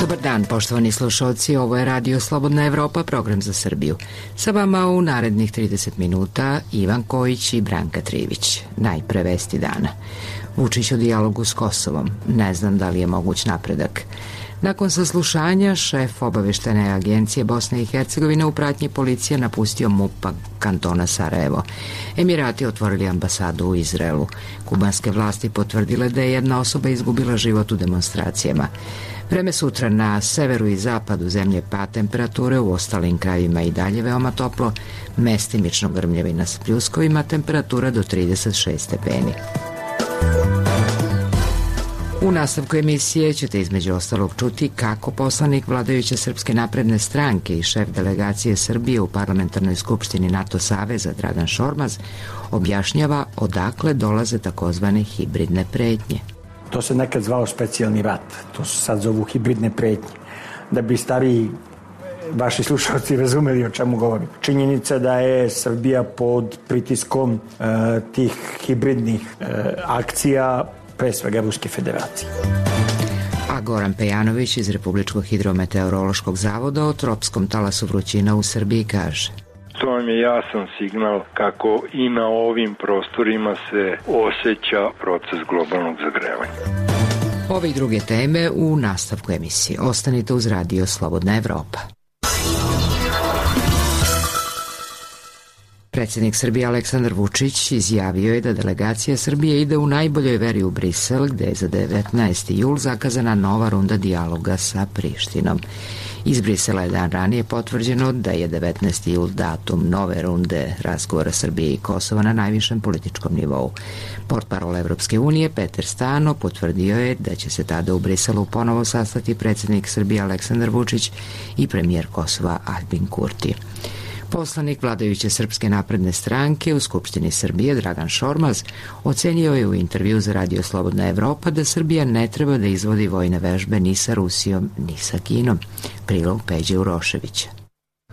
Dobar dan, poštovani slušalci, ovo je Radio Slobodna Evropa, program za Srbiju. Sa vama u narednih 30 minuta Ivan Kojić i Branka Trivić. Najpre vesti dana. Vučić o dijalogu s Kosovom. Ne znam da li je moguć napredak. Nakon saslušanja, šef obaveštene agencije Bosne i Hercegovine u pratnji policije napustio MUP kantona Sarajevo. Emirati otvorili ambasadu u Izraelu. Kubanske vlasti potvrdile da je jedna osoba izgubila život u demonstracijama. Vreme sutra na severu i zapadu zemlje pad temperature, u ostalim krajevima i dalje veoma toplo, mestimično grmljavina s pljuskovima, temperatura do 36 stepeni. U nastavku emisije ćete između ostalog čuti kako poslanik vladajuće Srpske napredne stranke i šef delegacije Srbije u Parlamentarnoj skupštini NATO saveza Dragan Šormaz objašnjava odakle dolaze takozvane hibridne pretnje. To se nekad zvao specijalni rat, to se sad zovu hibridne pretnje. Da bi stariji vaši slušalci razumeli o čemu govorim. Činjenica da je Srbija pod pritiskom tih hibridnih akcija, pre svega Ruske federacije. A Goran Pejanović iz Republičkog hidrometeorološkog zavoda o tropskom talasu vrućina u Srbiji kaže: To vam je jasan signal kako i na ovim prostorima se osjeća proces globalnog zagrevanja. Ove i druge teme u nastavku emisije. Ostanite uz Radio Slobodna Evropa. Predsjednik Srbije Aleksandar Vučić izjavio je da delegacija Srbije ide u najboljoj veri u Brisel, gde je za 19. jul zakazana nova runda dijaloga sa Prištinom. Iz Brisela je dan ranije potvrđeno da je 19. jul datum nove runde razgovora Srbije i Kosova na najvišem političkom nivou. Portparol Evropske unije Peter Stano potvrdio je da će se tada u Briselu ponovo sastati predsjednik Srbije Aleksandar Vučić i premijer Kosova Aljbin Kurti. Poslanik vladajuće Srpske napredne stranke u Skupštini Srbije Dragan Šormaz ocenio je u intervju za Radio Slobodna Evropa da Srbija ne treba da izvodi vojne vežbe ni sa Rusijom ni sa Kinom. Prilog Peđe Uroševića.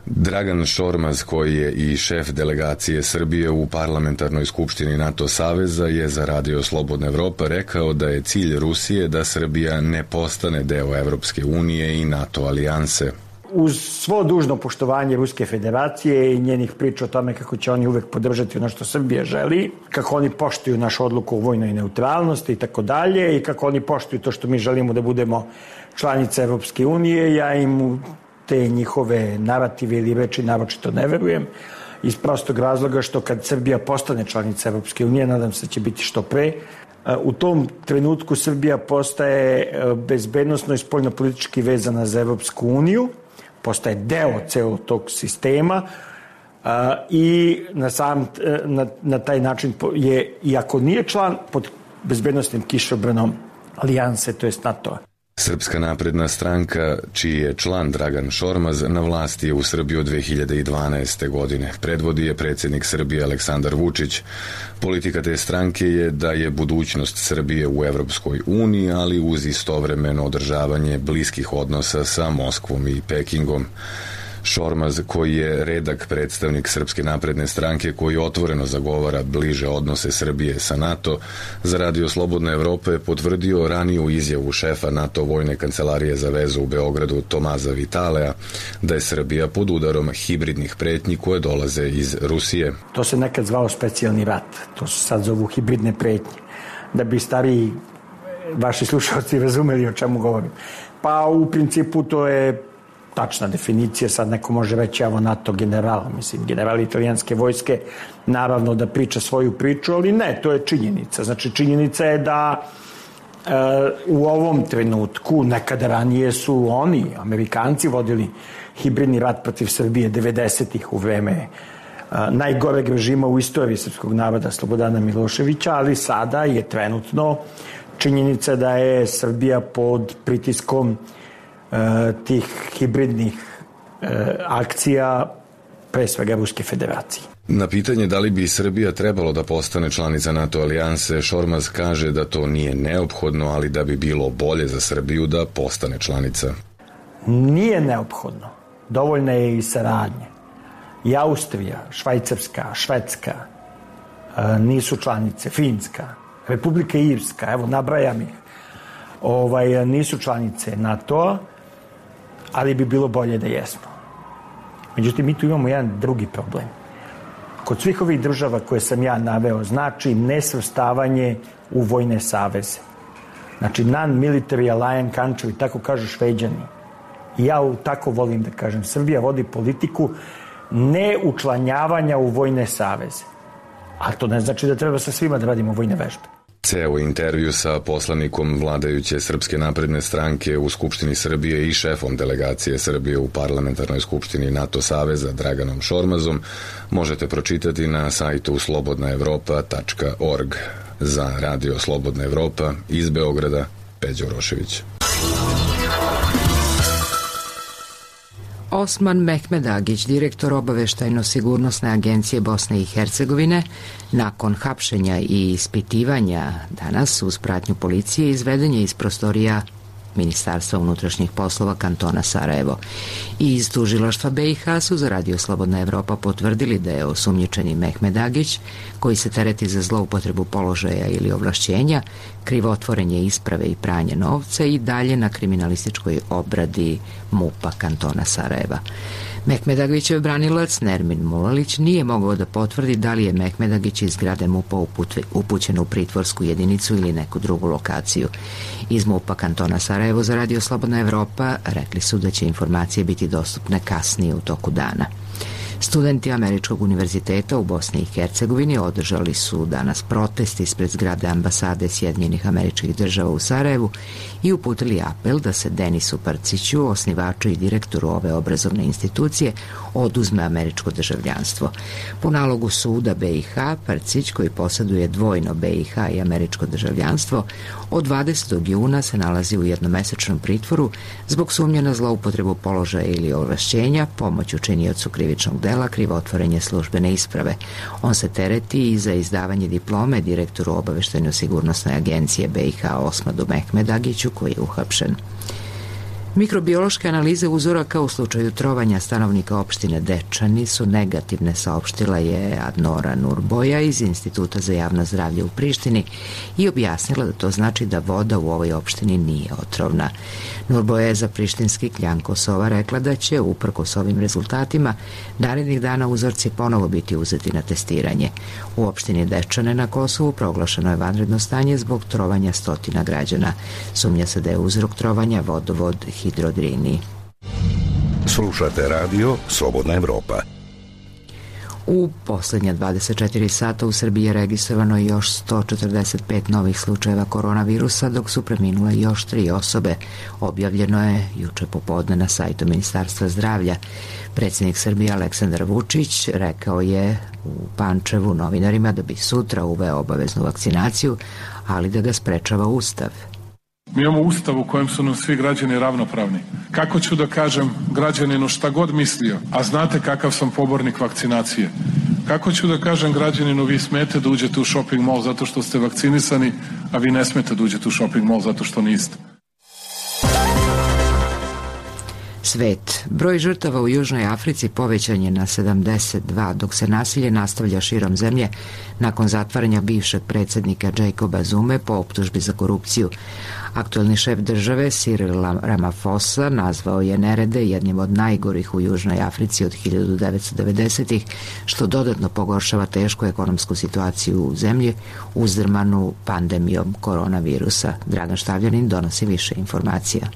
Dragan Šormaz, koji je i šef delegacije Srbije u Parlamentarnoj skupštini NATO saveza, je za Radio Slobodna Evropa rekao da je cilj Rusije da Srbija ne postane deo Evropske unije i NATO alijanse. Uz svo dužno poštovanje Ruske federacije i njenih priča o tome kako će oni uvek podržati ono što Srbija želi, kako oni poštuju našu odluku o vojnoj neutralnosti i tako dalje, i kako oni poštuju to što mi želimo da budemo članice Evropske unije, ja im te njihove narative ili reči naročito ne verujem, iz prostog razloga što kad Srbija postane članica Evropske unije, nadam se da će biti što pre, u tom trenutku Srbija postaje bezbednosno i spoljnopolitički vezana za Evropsku uniju, postaje deo celog tog sistema i na taj način je, iako nije član, pod bezbednostnim kišobranom alijanse, to jest NATO-a. Srpska napredna stranka, čiji je član Dragan Šormaz, na vlasti je u Srbiji od 2012. godine. Predvodi je predsjednik Srbije Aleksandar Vučić. Politika te stranke je da je budućnost Srbije u Evropskoj uniji, ali uz istovremeno održavanje bliskih odnosa sa Moskvom i Pekingom. Šormaz, koji je redak predstavnik Srpske napredne stranke koji otvoreno zagovara bliže odnose Srbije sa NATO, za Radio Slobodna Evropa je potvrdio raniju izjavu šefa NATO vojne kancelarije za vezu u Beogradu Tomaza Vitalea da je Srbija pod udarom hibridnih pretnji koje dolaze iz Rusije. To se nekad zvao specijalni rat, to se sad zovu hibridne pretnje. Da bi stariji vaši slušalci razumeli o čemu govorim. Pa u principu to je tačna definicija, sad neko može reći evo NATO general, mislim general italijanske vojske, naravno da priča svoju priču, ali ne, to je činjenica. Znači činjenica je da u ovom trenutku, nekada ranije su oni, Amerikanci, vodili hibridni rat protiv Srbije 90-ih u vreme najgoreg režima u istoriji srpskog naroda Slobodana Miloševića, ali sada je trenutno činjenica da je Srbija pod pritiskom tih hibridnih akcija, pre svega Ruske federacije. Na pitanje da li bi Srbija trebalo da postane članica NATO alijanse, Šormaz kaže da to nije neophodno, ali da bi bilo bolje za Srbiju da postane članica. Nije neophodno. Dovoljna je i saradnja. I Austrija, Švajcarska, Švedska nisu članice, Finska, Republika Irska, evo nabrajam ih, nisu članice NATO-a ali bi bilo bolje da jesmo. Međutim, mi tu imamo jedan drugi problem. Kod svih ovih država koje sam ja naveo, znači nesvrstavanje u vojne saveze. Znači, non-military alliance country, tako kažu Šveđani. I ja tako volim da kažem. Srbija vodi politiku neučlanjavanja u vojne saveze. Ali to ne znači da treba sa svima da radimo vojne vežbe. Ceo intervju sa poslanikom vladajuće Srpske napredne stranke u Skupštini Srbije i šefom delegacije Srbije u Parlamentarnoj skupštini NATO saveza Draganom Šormazom možete pročitati na sajtu slobodnaevropa.org. Za Radio Slobodna Evropa iz Beograda, Peđa Urošević. Osman Mehmedagić, direktor Obaveštajno-sigurnosne agencije Bosne i Hercegovine, nakon hapšenja i ispitivanja danas uz pratnju policije izveden je iz prostorija Ministarstva unutrašnjih poslova kantona Sarajevo. I iz tužilaštva BiH su za Radio Slobodna Evropa potvrdili da je osumnjičeni Mehmedagić, koji se tereti za zloupotrebu položaja ili ovlašćenja, krivotvorenje isprave i pranje novca i dalje na kriminalističkoj obradi MUP-a kantona Sarajeva. Mehmedagićev branilac Nermin Mulalić nije mogao da potvrdi da li je Mehmedagić iz zgrade MUP-a upućen u pritvorsku jedinicu ili neku drugu lokaciju. Iz MUP-a kantona Sarajevo za Radio Slobodna Evropa rekli su da će informacije biti dostupne kasnije u toku dana. Studenti Američkog univerziteta u Bosni i Hercegovini održali su danas protest ispred zgrade ambasade Sjedinjenih Američkih Država u Sarajevu i uputili apel da se Denisu Prciću, osnivaču i direktoru ove obrazovne institucije, oduzme američko državljanstvo. Po nalogu suda BiH, Prcić, koji posjeduje dvojno BiH i američko državljanstvo, od 20. juna se nalazi u jednomesečnom pritvoru zbog sumnje na zloupotrebu položaja ili ovlašćenja, pomoć učiniocu krivičnog dela, krivotvorenje službene isprave. On se tereti i za izdavanje diplome direktoru Obaveštajno-sigurnosne agencije BiH Osmanu Mehmedagiću, koji je uhapšen. Mikrobiološke analize uzoraka u slučaju trovanja stanovnika opštine Dečani su negativne, saopštila je Adnora Nurboja iz Instituta za javno zdravlje u Prištini i objasnila da to znači da voda u ovoj opštini nije otrovna. Nurboja je za prištinski Kljan Kosova rekla da će, uprkos ovim rezultatima, narednih dana uzorci ponovo biti uzeti na testiranje. U opštini Dečane na Kosovu proglašeno je vanredno stanje zbog trovanja stotina građana. Sumnja se da je uzrok trovanja vodovod Hidrodrini. Slušate Radio Slobodna Evropa. U poslednja 24 sata u Srbiji je registrovano još 145 novih slučajeva koronavirusa, dok su preminule još 3 osobe. Objavljeno je juče popodne na sajtu Ministarstva zdravlja. Predsjednik Srbije Aleksandar Vučić rekao je u Pančevu novinarima da bi sutra uveo obaveznu vakcinaciju, ali da ga sprečava Ustav. Mi imamo Ustav u kojem su nam svi građani ravnopravni. Kako ću da kažem građaninu šta god mislio, a znate kakav sam pobornik vakcinacije? Kako ću da kažem građaninu vi smete da uđete u shopping mall zato što ste vakcinisani, a vi ne smete da uđete u shopping mall zato što niste? Svet. Broj žrtava u Južnoj Africi povećan je na 72, dok se nasilje nastavlja širom zemlje nakon zatvaranja bivšeg predsjednika Jacoba Zume po optužbi za korupciju. Aktuelni šef države Cyril Ramaphosa nazvao je nerede jednim od najgorih u Južnoj Africi od 1990-ih, što dodatno pogoršava tešku ekonomsku situaciju u zemlji uzdrmanu pandemijom koronavirusa. Dragan Štavljanin donosi više informacija.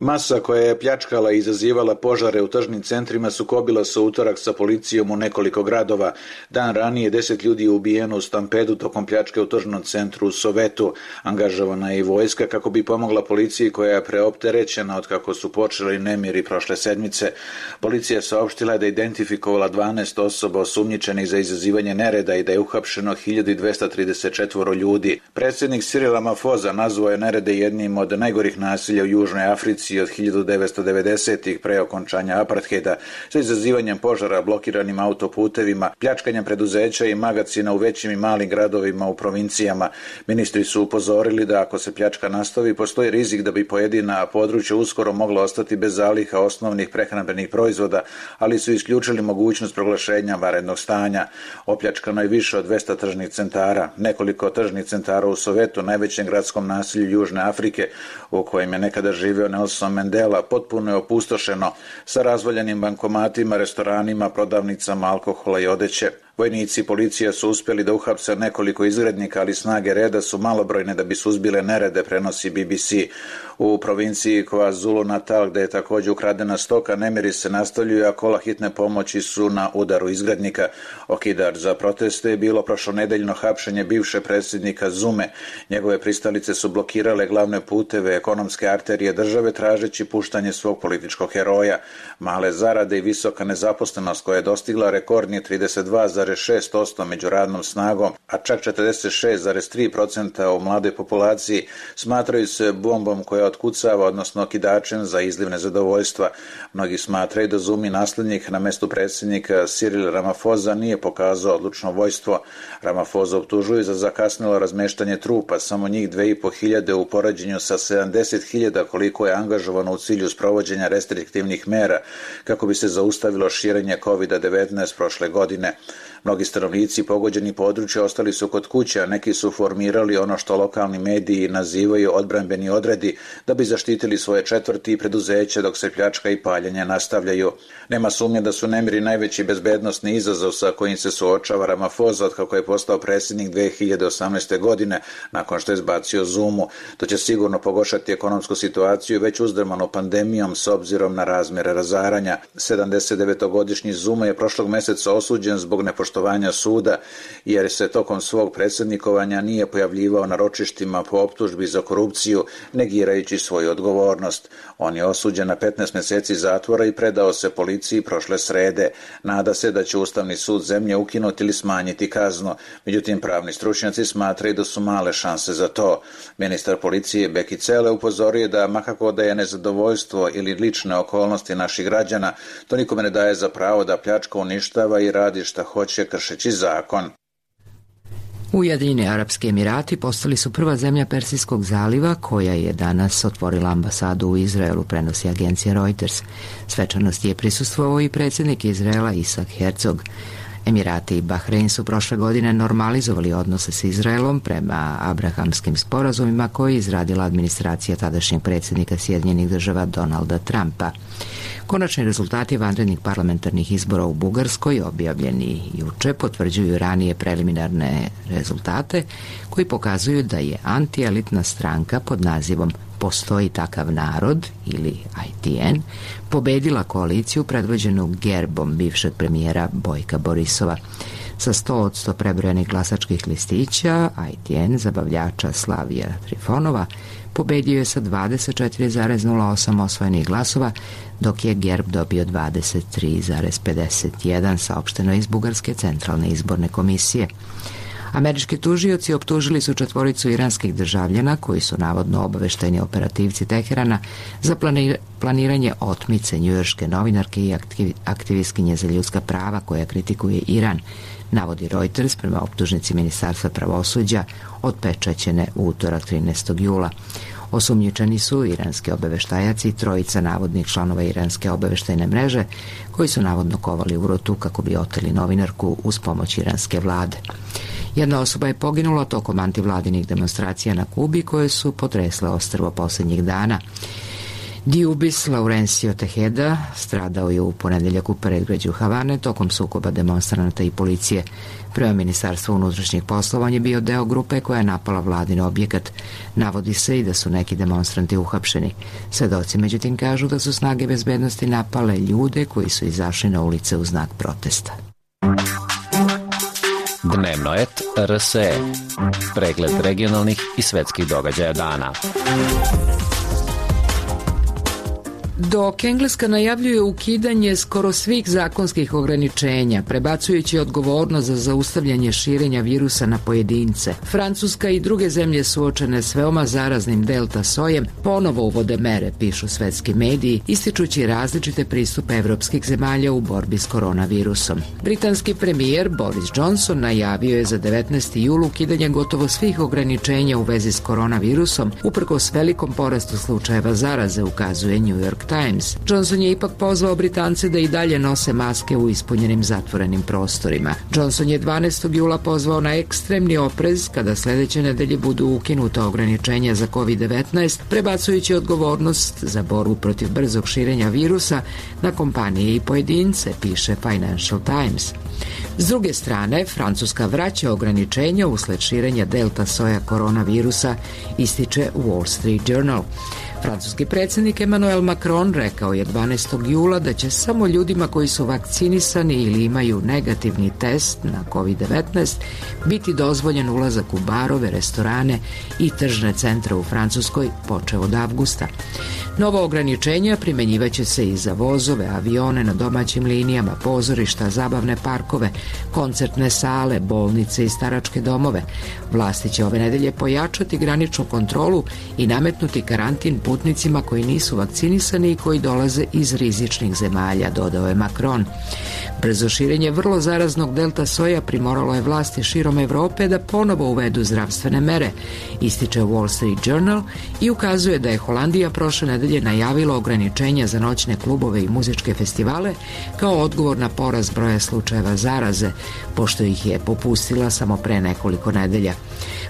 Masa koja je pljačkala i izazivala požare u tržnim centrima sukobila se u utorak sa policijom u nekoliko gradova. Dan ranije 10 ljudi je ubijeno u stampedu tokom pljačke u tržnom centru u Sovetu. Angažovana je i vojska kako bi pomogla policiji koja je preopterećena od kako su počeli nemiri prošle sedmice. Policija je saopštila da je identifikovala 12 osoba osumnjičenih za izazivanje nereda i da je uhapšeno 1234 ljudi. Predsjednik Cyril Ramaphosa nazvao je nerede jednim od najgorih nasilja u Južnoj Africi od 1990-ih pre okončanja apartheida, sa izazivanjem požara, blokiranim autoputevima, pljačkanjem preduzeća i magacina u većim i malim gradovima u provincijama. Ministri su upozorili da ako se pljačka nastavi, postoji rizik da bi pojedina područja uskoro mogla ostati bez zaliha osnovnih prehrambenih proizvoda, ali su isključili mogućnost proglašenja vanrednog stanja. Opljačkano je više od 200 tržnih centara. Nekoliko tržnih centara u Sovetu, najvećem gradskom naselju Južne Afrike, u kojem je nekada živeo Nelson Nelson Mandela potpuno je opustošeno sa razvaljenim bankomatima, restoranima, prodavnicama alkohola i odeće. Vojnici i policija su uspjeli da uhapse nekoliko izgrednika, ali snage reda su malobrojne da bi suzbile nerede, prenosi BBC. U provinciji KwaZulu Natal, gde je također ukradena stoka, nemiri se nastavljuju, a kola hitne pomoći su na udaru izgrednika. Okidač za proteste je bilo prošlonedeljno hapšenje bivše predsjednika Zume. Njegove pristalice su blokirale glavne puteve, ekonomske arterije države, tražeći puštanje svog političkog heroja. Male zarade i visoka nezaposlenost koja je dostigla rekordni 32,6% među radnom snagom, a čak 46,3% u mladoj populaciji, smatraju se bombom koja otkucava, odnosno okidačem za izliv nezadovoljstva. Mnogi smatraju da Zumi naslednik na mestu predsjednika Cyril Ramaphosa nije pokazao odlučno vojstvo. Ramaphosa optužuju za zakasnilo razmeštanje trupa, samo njih 2.500 u poređenju sa 70.000 koliko je angažovano u cilju sprovođenja restriktivnih mera kako bi se zaustavilo širenje COVID-19 prošle godine. Mnogi stanovnici pogođeni područja ostali su kod kuće, a neki su formirali ono što lokalni mediji nazivaju odbrambeni odredi da bi zaštitili svoje četvrti i preduzeće dok se pljačka i paljenje nastavljaju. Nema sumnje da su nemiri najveći bezbednosni izazov sa kojim se suočava Ramaphosa od kako je postao predsjednik 2018. godine nakon što je izbacio Zumu. To će sigurno pogoršati ekonomsku situaciju već uzdrmanu pandemijom s obzirom na razmjere razaranja. 79-godišnji Zuma je prošlog mjeseca osuđen zbog nepoštovanja suda jer se tokom svog predsjednikovanja nije pojavljivao na ročištima po optužbi za korupciju, negirajući svoju odgovornost. On je osuđen na 15 mjeseci zatvora i predao se policiji prošle srede. Nada se da će Ustavni sud zemlje ukinuti ili smanjiti kaznu. Međutim, pravni stručnjaci smatraju da su male šanse za to. Ministar policije Beki Cele upozorio da makako da je nezadovoljstvo ili lične okolnosti naših građana, to nikome ne daje za pravo da pljačka, uništava i radi šta hoće kršeći zakon. Ujedinjeni Arapski Emirati postali su prva zemlja Persijskog zaliva koja je danas otvorila ambasadu u Izraelu, prenosi agencija Reuters. Svečanosti je prisustvovao i predsjednik Izraela Isak Herzog. Emirati i Bahrein su prošle godine normalizovali odnose s Izraelom prema abrahamskim sporazumima koje je izradila administracija tadašnjeg predsjednika Sjedinjenih Država Donalda Trumpa. Konačni rezultati vanrednih parlamentarnih izbora u Bugarskoj, objavljeni juče, potvrđuju ranije preliminarne rezultate koji pokazuju da je antielitna stranka pod nazivom Postoji takav narod ili ITN pobedila koaliciju predvođenu gerbom bivšeg premijera Bojka Borisova. Sa 100% prebrojenih glasačkih listića, ITN zabavljača Slavija Trifonova pobedio je sa 24,08 osvojenih glasova, dok je gerb dobio 23,51, saopšteno iz Bugarske centralne izborne komisije. Američki tužioci optužili su 4 iranskih državljana koji su navodno obaveštajni operativci Teherana za planiranje otmice njujorške novinarke i aktivistkinje za ljudska prava koja kritikuje Iran, navodi Reuters prema optužnici Ministarstva pravosuđa otpečaćene u utorak 13. jula. Osumnjičeni su iranski obaveštajaci i 3 navodnih članova iranske obaveštajne mreže koji su navodno kovali u rotu kako bi oteli novinarku uz pomoć iranske vlade. Jedna osoba je poginula tokom antivladinih demonstracija na Kubi koje su potresle ostrvo posljednjih dana. Diubis Laurencio Tejeda stradao je u ponedeljak u predgrađu Havane tokom sukoba demonstranata i policije. Prema Ministarstvu unutrašnjih poslova on je bio deo grupe koja je napala vladin objekat. Navodi se i da su neki demonstranti uhapšeni. Svedoci međutim kažu da su snage bezbednosti napale ljude koji su izašli na ulice u znak protesta. Dnevno et RSE. Pregled regionalnih i svetskih događaja dana. Dok Engleska najavljuje ukidanje skoro svih zakonskih ograničenja, prebacujući odgovornost za zaustavljanje širenja virusa na pojedince, Francuska i druge zemlje suočene s veoma zaraznim delta sojem ponovo uvode mere, pišu svetski mediji, ističući različite pristupe evropskih zemalja u borbi s koronavirusom. Britanski premijer Boris Johnson najavio je za 19. jul ukidanje gotovo svih ograničenja u vezi s koronavirusom, uprkos velikom porastu slučajeva zaraze, ukazuje New York York Times. Johnson je ipak pozvao Britance da i dalje nose maske u ispunjenim zatvorenim prostorima. Johnson je 12. jula pozvao na ekstremni oprez kada sledeće nedelje budu ukinuta ograničenja za COVID-19, prebacujući odgovornost za borbu protiv brzog širenja virusa na kompanije i pojedince, piše Financial Times. S druge strane, Francuska vraća ograničenja usled širenja delta soja koronavirusa, ističe Wall Street Journal. Francuski predsjednik Emmanuel Macron rekao je 12. jula da će samo ljudima koji su vakcinisani ili imaju negativni test na COVID-19 biti dozvoljen ulazak u barove, restorane i tržne centre u Francuskoj počev od avgusta. Novo ograničenja primenjivaće se i za vozove, avione na domaćim linijama, pozorišta, zabavne parkove, koncertne sale, bolnice i staračke domove. Vlasti će ove nedelje pojačati graničnu kontrolu i nametnuti karantin putnicima koji nisu vakcinisani i koji dolaze iz rizičnih zemalja, dodao je Macron. Brzo širenje vrlo zaraznog delta soja primoralo je vlasti širom Evrope da ponovo uvedu zdravstvene mere, ističe Wall Street Journal i ukazuje da je Holandija prošle nedelje najavila ograničenja za noćne klubove i muzičke festivale kao odgovor na porast broja slučajeva zaraze, pošto ih je popustila samo pre nekoliko nedelja.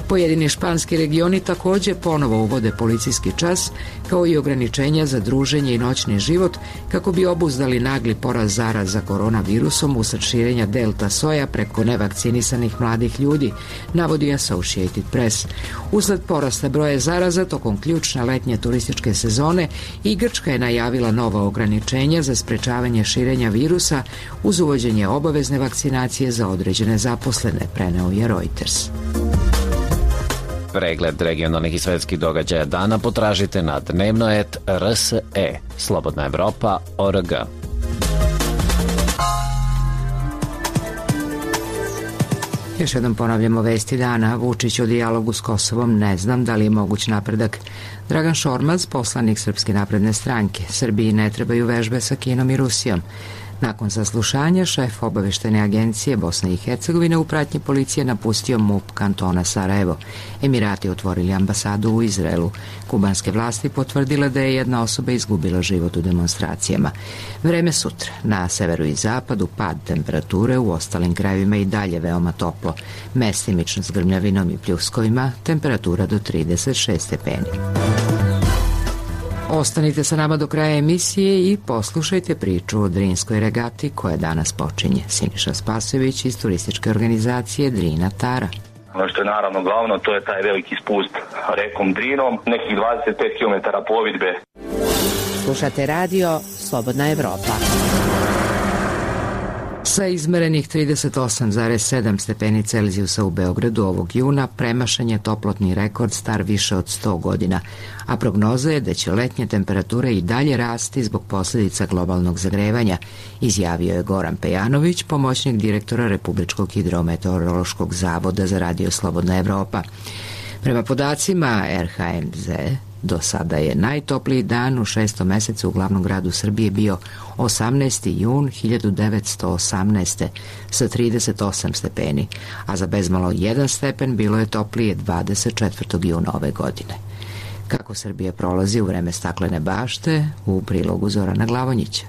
Pojedini španski regioni takođe ponovo uvode policijski čas, kao i ograničenja za druženje i noćni život, kako bi obuzdali nagli porast zaraza koronavirusom usled širenja delta soja preko nevakcinisanih mladih ljudi, navodi Associated Press. Usled porasta broja zaraza tokom ključne letnje turističke sezone i Grčka je najavila nova ograničenja za sprečavanje širenja virusa uz uvođenje obavezne vakcinacije za određene zaposlene, preneo je Reuters. Pregled regionalnih i svetskih događaja dana potražite na dnevno.rs.e, Slobodna Evropa.org. Još jednom ponavljamo vesti dana. Vučić o dijalogu s Kosovom, ne znam da li je moguć napredak. Dragan Šormaz, poslanik Srpske napredne stranke. Srbiji ne trebaju vežbe sa Kinom i Rusijom. Nakon saslušanja, šef obaveštene agencije Bosne i Hercegovine u pratnji policije napustio MUP kantona Sarajevo. Emirati otvorili ambasadu u Izraelu. Kubanske vlasti potvrdile da je jedna osoba izgubila život u demonstracijama. Vreme sutra. Na severu i zapadu pad temperature, u ostalim krajevima i dalje veoma toplo. Mestimično s grmljavinom i pljuskovima, temperatura do 36 stepeni. Ostanite sa nama do kraja emisije i poslušajte priču o Drinskoj regati koja danas počinje. Siniša Spasojević iz turističke organizacije Drina Tara. Ono što je naravno glavno, to je taj veliki spust rekom Drinom, nekih 25 km plovidbe. Slušate radio Slobodna Evropa. Sa izmerenih 38,7 stepeni Celzijusa u Beogradu ovog juna premašen je toplotni rekord star više od 100 godina, a prognoza je da će letnje temperature i dalje rasti zbog posljedica globalnog zagrevanja, izjavio je Goran Pejanović, pomoćnik direktora Republičkog hidrometeorološkog zavoda za radio Slobodna Evropa. Prema podacima RHMZ, do sada je najtopliji dan u 6. mesecu u glavnom gradu Srbije bio 18. jun 1918. sa 38 stepeni, a za bezmalo 1 stepen bilo je toplije 24. juna ove godine. Kako Srbija prolazi u vreme staklene bašte, u prilogu Zorana Glavonjića.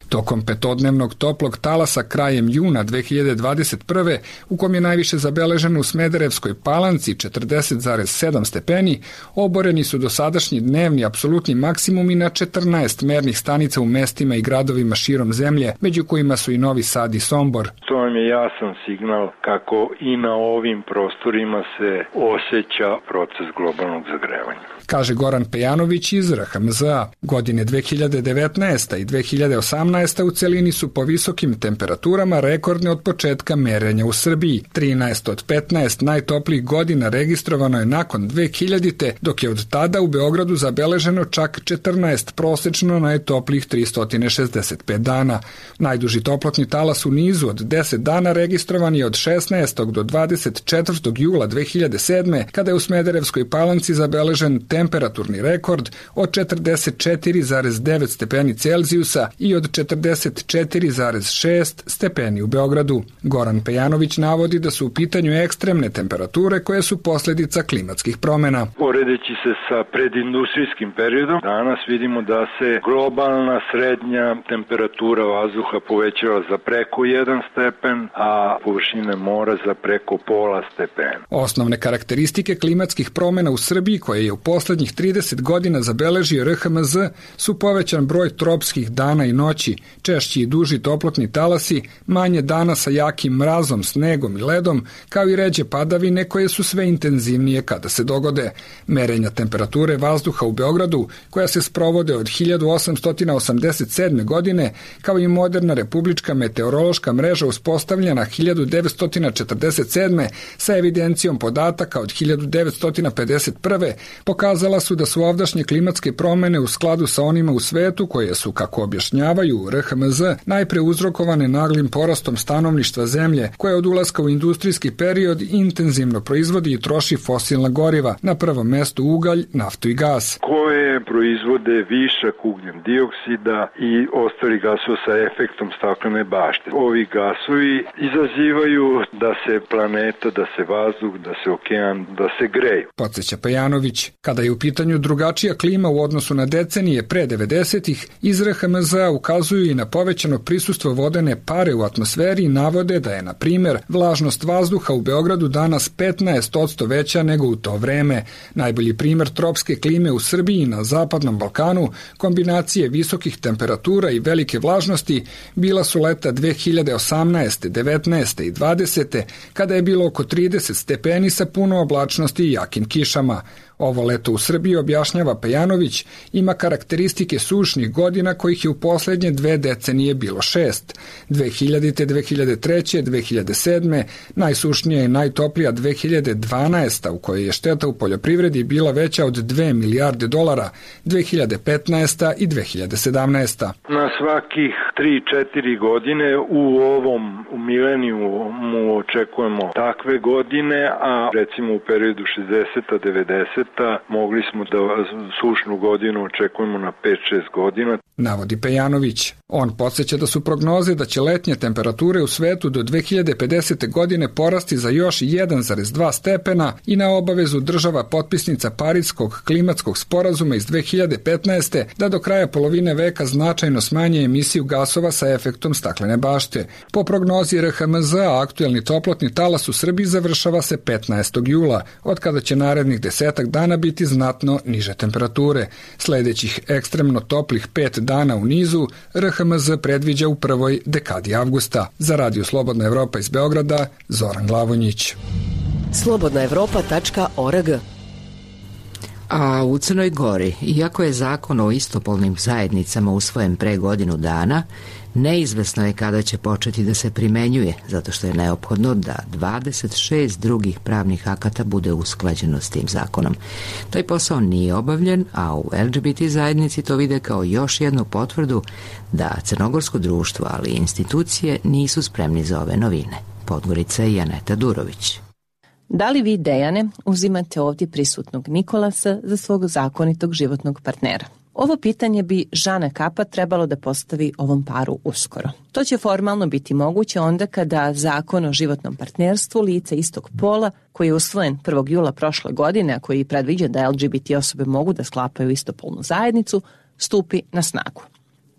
Tokom petodnevnog toplog talasa krajem juna 2021. u kom je najviše zabeleženo u Smederevskoj Palanci 40,7 stepeni, oboreni su dosadašnji dnevni apsolutni maksimumi na 14 mernih stanica u mestima i gradovima širom zemlje, među kojima su i Novi Sad i Sombor. To vam je jasan signal kako i na ovim prostorima se osjeća proces globalnog zagrevanja. Kaže Goran Pejanović iz RHMZ-a. Godine 2019. i 2018. u celini su po visokim temperaturama rekordne od početka merenja u Srbiji. 13 od 15 najtoplijih godina registrovano je nakon 2000. dok je od tada u Beogradu zabeleženo čak 14 prosečno najtoplijih 365 dana. Najduži toplotni talas u nizu od 10 dana registrovan je od 16. do 24. jula 2007. kada je u Smederevskoj Palanci zabeležen temperaturni rekord od 44,9 stepeni Celzijusa i od 44,6 stepeni u Beogradu. Goran Pejanović navodi da su u pitanju ekstremne temperature koje su posljedica klimatskih promjena. Poredeći se sa predindustrijskim periodom, danas vidimo da se globalna srednja temperatura vazduha povećala za preko 1 stepen, a površine mora za preko pola stepena. Osnovne karakteristike klimatskih promjena u Srbiji, koje je u poslednjih 30 godina zabeležio RHMZ, su povećan broj tropskih dana i noći, češći i duži toplotni talasi, manje dana sa jakim mrazom, snegom i ledom, kao i ređe padavine koje su sve intenzivnije kada se dogode. Merenja temperature vazduha u Beogradu, koja se sprovode od 1887. godine, kao i moderna republička meteorološka mreža uspostavljena 1947. sa evidencijom podataka od 1951. pokazala su da su ovdašnje klimatske promjene u skladu sa onima u svetu koje su, kako objašnjavaju RHMZ, najpre uzrokovane naglim porastom stanovništva zemlje, koja od ulaska u industrijski period intenzivno proizvodi i troši fosilna goriva, na prvom mestu ugalj, naftu i gas. Koje proizvode višak ugljen dioksida i ostali gasova sa efektom staklene bašte. Ovi gasovi izazivaju da se planeta, da se vazduh, da se okean, da se greju. Podsjeća Pejanović. Kada je u pitanju drugačija klima u odnosu na decenije pre 90-ih, iz RHMZ ukazuju i na povećano prisustvo vodene pare u atmosferi i navode da je, na primjer, vlažnost vazduha u Beogradu danas 15% veća nego u to vreme. Najbolji primjer tropske klime u Srbiji i na Zapadnom Balkanu, kombinacije visokih temperatura i velike vlažnosti, bila su leta 2018., 19. i 20. kada je bilo oko 30 stepeni sa puno oblačnosti i jakim kišama. Ovo leto u Srbiji, objašnjava Pejanović, ima karakteristike sušnih godina kojih je u posljednje 2 decenije bilo 6. 2000. 2003. 2007. najsušnija i najtoplija 2012. u kojoj je šteta u poljoprivredi bila veća od $2 milijarde, 2015. i 2017. Na svakih 3-4 godine u ovom milenijumu očekujemo takve godine, a recimo u periodu 60-90 mogli smo da sušnu godinu očekujemo na 5-6 godina. Navodi Pejanović. On podsjeća da su prognoze da će letnje temperature u svetu do 2050. godine porasti za još 1,2 stepena i na obavezu država potpisnica Pariskog klimatskog sporazuma iz 2015. da do kraja polovine veka značajno smanje emisiju gasova sa efektom staklene bašte. Po prognozi RHMZ, aktuelni toplotni talas u Srbiji završava se 15. jula, od kada će narednih 10 dana biti znatno niže temperature. Sledećih ekstremno toplih 5 dana u nizu RHMZ predviđa u prvoj dekadi avgusta. Za Radio Slobodna Evropa iz Beograda, Zoran Glavonjić. slobodnaevropa.org. A u Crnoj Gori, iako je zakon o istopolnim zajednicama usvojen pre godinu dana, neizvesno je kada će početi da se primenjuje, zato što je neophodno da 26 drugih pravnih akata bude usklađeno s tim zakonom. Taj posao nije obavljen, a u LGBT zajednici to vide kao još jednu potvrdu da crnogorsko društvo, ali i institucije nisu spremni za ove novine. Podgorica i Janeta Durović. Da li vi, Dejane, uzimate ovdje prisutnog Nikolasa za svog zakonitog životnog partnera? Ovo pitanje bi Žana Kapa trebalo da postavi ovom paru uskoro. To će formalno biti moguće onda kada Zakon o životnom partnerstvu lica istog pola, koji je usvojen 1. jula prošle godine, a koji predviđa da LGBT osobe mogu da sklapaju istopolnu zajednicu, stupi na snagu.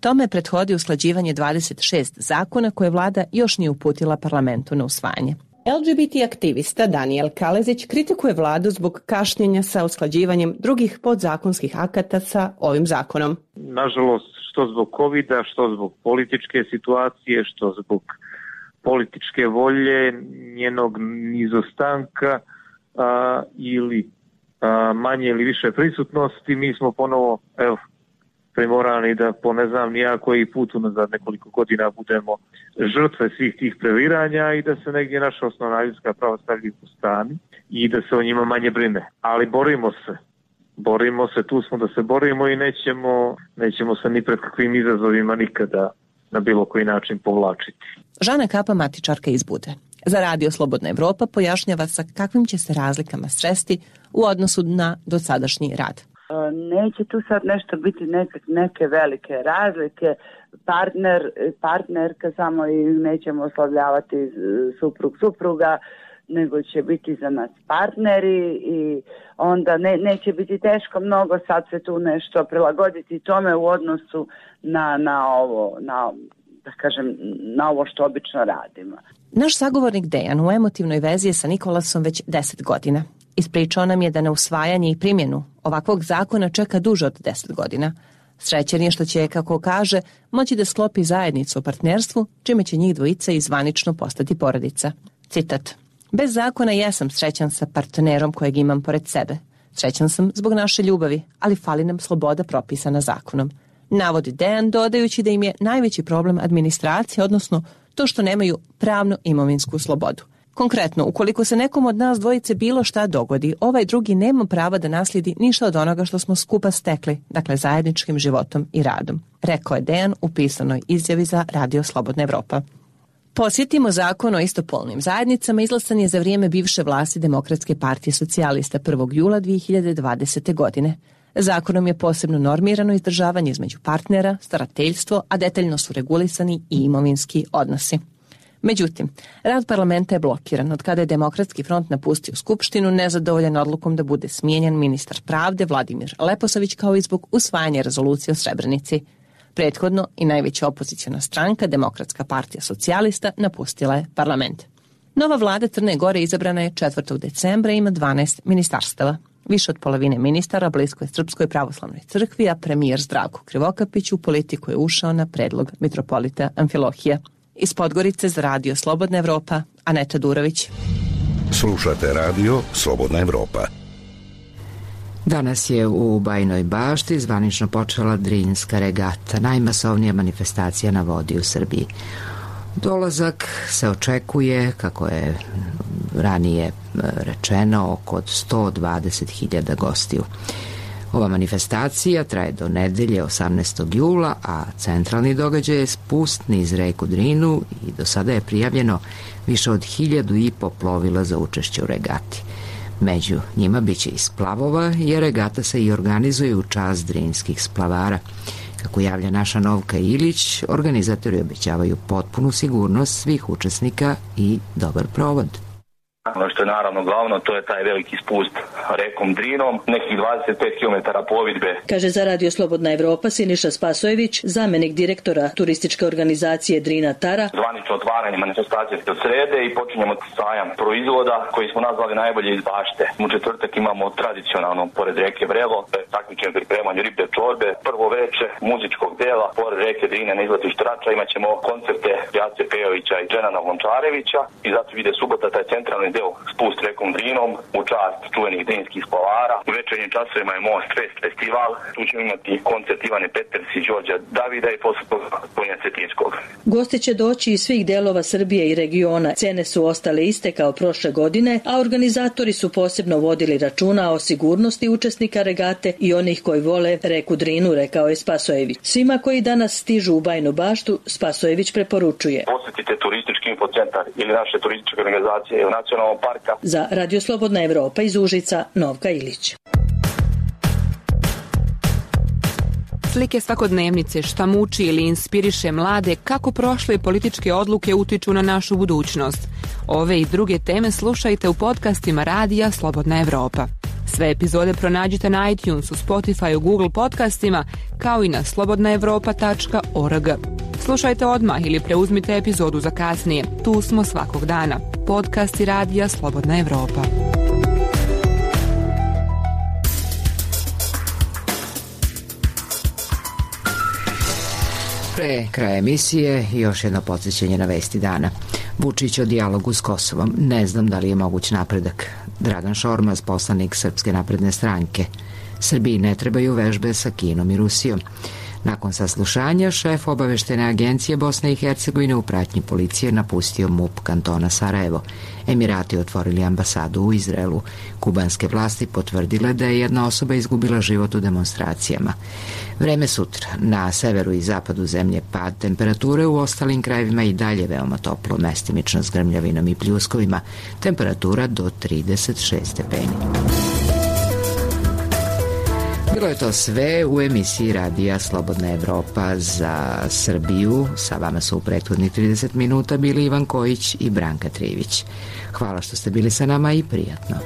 Tome prethodi usklađivanje 26 zakona koje vlada još nije uputila parlamentu na usvajanje. LGBT aktivista Daniel Kalezić kritikuje vladu zbog kašnjenja sa usklađivanjem drugih podzakonskih akata sa ovim zakonom. Nažalost, što zbog COVID-a, što zbog političke situacije, što zbog političke volje, njenog nizostanka ili manje ili više prisutnosti, mi smo ponovo primorani da po ne znam nija koji put unazad nekoliko godina budemo žrtve svih tih previranja i da se negdje naša osnovna ljudska prava stavljaju po strani i da se o njima manje brine. Ali borimo se, tu smo da se borimo i nećemo se ni pred kakvim izazovima nikada na bilo koji način povlačiti. Žana Kapa, matičarka iz Bude. Za Radio Slobodna Evropa pojašnjava sa kakvim će se razlikama sresti u odnosu na dosadašnji rad. Neće tu sad nešto biti neke velike razlike, partnerka samo i nećemo oslovljavati supruga, nego će biti za nas partneri i onda neće biti teško mnogo sad se tu nešto prilagoditi tome u odnosu na ovo što obično radimo. Naš sagovornik Dejan u emotivnoj vezi je sa Nikolasom već 10 godina. Ispričao nam je da na usvajanje i primjenu ovakvog zakona čeka duže od 10 godina. Srećan je što će, kako kaže, moći da sklopi zajednicu o partnerstvu, čime će njih dvojica i zvanično postati porodica. Citat: bez zakona jesam srećan sa partnerom kojeg imam pored sebe. Srećan sam zbog naše ljubavi, ali fali nam sloboda propisana zakonom. Navodi Dejan, dodajući da im je najveći problem administracija, odnosno to što nemaju pravno imovinsku slobodu. Konkretno, ukoliko se nekom od nas dvojice bilo šta dogodi, ovaj drugi nema prava da naslijedi ništa od onoga što smo skupa stekli, dakle zajedničkim životom i radom, rekao je Dejan u pisanoj izjavi za Radio Slobodna Evropa. Posjetimo zakon o istopolnim zajednicama izglasan je za vrijeme bivše vlasti Demokratske partije socijalista 1. jula 2020. godine. Zakonom je posebno normirano izdržavanje između partnera, starateljstvo, a detaljno su regulisani i imovinski odnosi. Međutim, rad parlamenta je blokiran od kada je Demokratski front napustio Skupštinu nezadovoljan odlukom da bude smijenjen ministar pravde Vladimir Leposavić kao i zbog usvajanja rezolucije o Srebrenici. Prethodno i najveća opoziciona stranka, Demokratska partija socijalista, napustila je parlament. Nova vlada Crne Gore izabrana je 4. decembra i ima 12 ministarstava. Više od polovine ministara blisko je Srpskoj pravoslavnoj crkvi, a premijer Zdravko Krivokapić u politiku je ušao na predlog mitropolita Amfilohija. Iz Podgorice za Radio Slobodna Evropa, Aneta Durović. Slušate Radio Slobodna Evropa. Danas je u Bajinoj Bašti zvanično počela Drinska regata, najmasovnija manifestacija na vodi u Srbiji. Dolazak se očekuje, kako je ranije rečeno, oko 120.000 gostiju. Ova manifestacija traje do nedelje 18. jula, a centralni događaj je spust niz reku Drinu i do sada je prijavljeno više od 1.500 plovila za učešće u regati. Među njima biće i splavova, jer regata se i organizuje u čast drinskih splavara. Kako javlja naša Novka Ilić, organizatori obećavaju potpunu sigurnost svih učesnika i dobar provod. Ono što je naravno glavno, to je taj veliki spust rekom Drinom, nekih 25 km plovidbe. Kaže za Radio Slobodna Evropa Siniša Spasojević, zamenik direktora turističke organizacije Drina Tara. Zvanično otvaranje manifestacije od srede i počinjemo sajam proizvoda koji smo nazvali najbolje iz bašte. U četvrtak imamo tradicionalno pored reke Vrelo, takmičenje pripremanju ribe čorbe, prvo veče muzičkog dela, pored reke Drine na izletištu Rača imat ćemo koncerte Jace Pejovića i Dženana Lončarevića i zato ide subota taj centralni deo spust rekom Drinom u čast čuvenih drinskih splavara. U večernjim časovima je Most Fest festival. Tu ćemo imati koncert Ivane Peters i Đorđa Davida i posle Tonja Cetinskog. Gosti će doći iz svih delova Srbije i regiona. Cene su ostale iste kao prošle godine, a organizatori su posebno vodili računa o sigurnosti učesnika regate i onih koji vole reku Drinu, rekao je Spasojević. Svima koji danas stižu u Bajinu Baštu, Spasojević preporučuje: posjetite turistički infocentar ili naše turističke organizacije ili nacionalnog parka. Za Radio Slobodna Evropa iz Užica, Novka Ilić. Slike svakodnevnice, šta muči ili inspiriše mlade, kako prošle političke odluke utiču na našu budućnost. Ove i druge teme slušajte u podcastima Radija Slobodna Evropa. Sve epizode pronađite na iTunesu, Spotifyu, Google podcastima, kao i na slobodnaevropa.org. Slušajte odmah ili preuzmite epizodu za kasnije. Tu smo svakog dana. Podcasti Radija Slobodna Evropa. Pre kraja emisije još jedno podsjećanje na vesti dana. Vučić o dijalogu s Kosovom. Ne znam da li je moguć napredak. Dragan Šormaz, poslanik Srpske napredne stranke. Srbiji ne trebaju vežbe sa Kinom i Rusijom. Nakon saslušanja, šef obaveštene agencije Bosne i Hercegovine u pratnji policije napustio MUP kantona Sarajevo. Emirati otvorili ambasadu u Izraelu. Kubanske vlasti potvrdile da je jedna osoba izgubila život u demonstracijama. Vreme sutra. Na severu i zapadu zemlje pad temperature, u ostalim krajevima i dalje veoma toplo, mestimično s grmljavinom i pljuskovima. Temperatura do 36 stepeni. Bilo je to sve u emisiji radija Slobodna Evropa za Srbiju. Sa vama su u prethodnih 30 minuta bili Ivan Kojić i Branka Trivić. Hvala što ste bili sa nama i prijatno.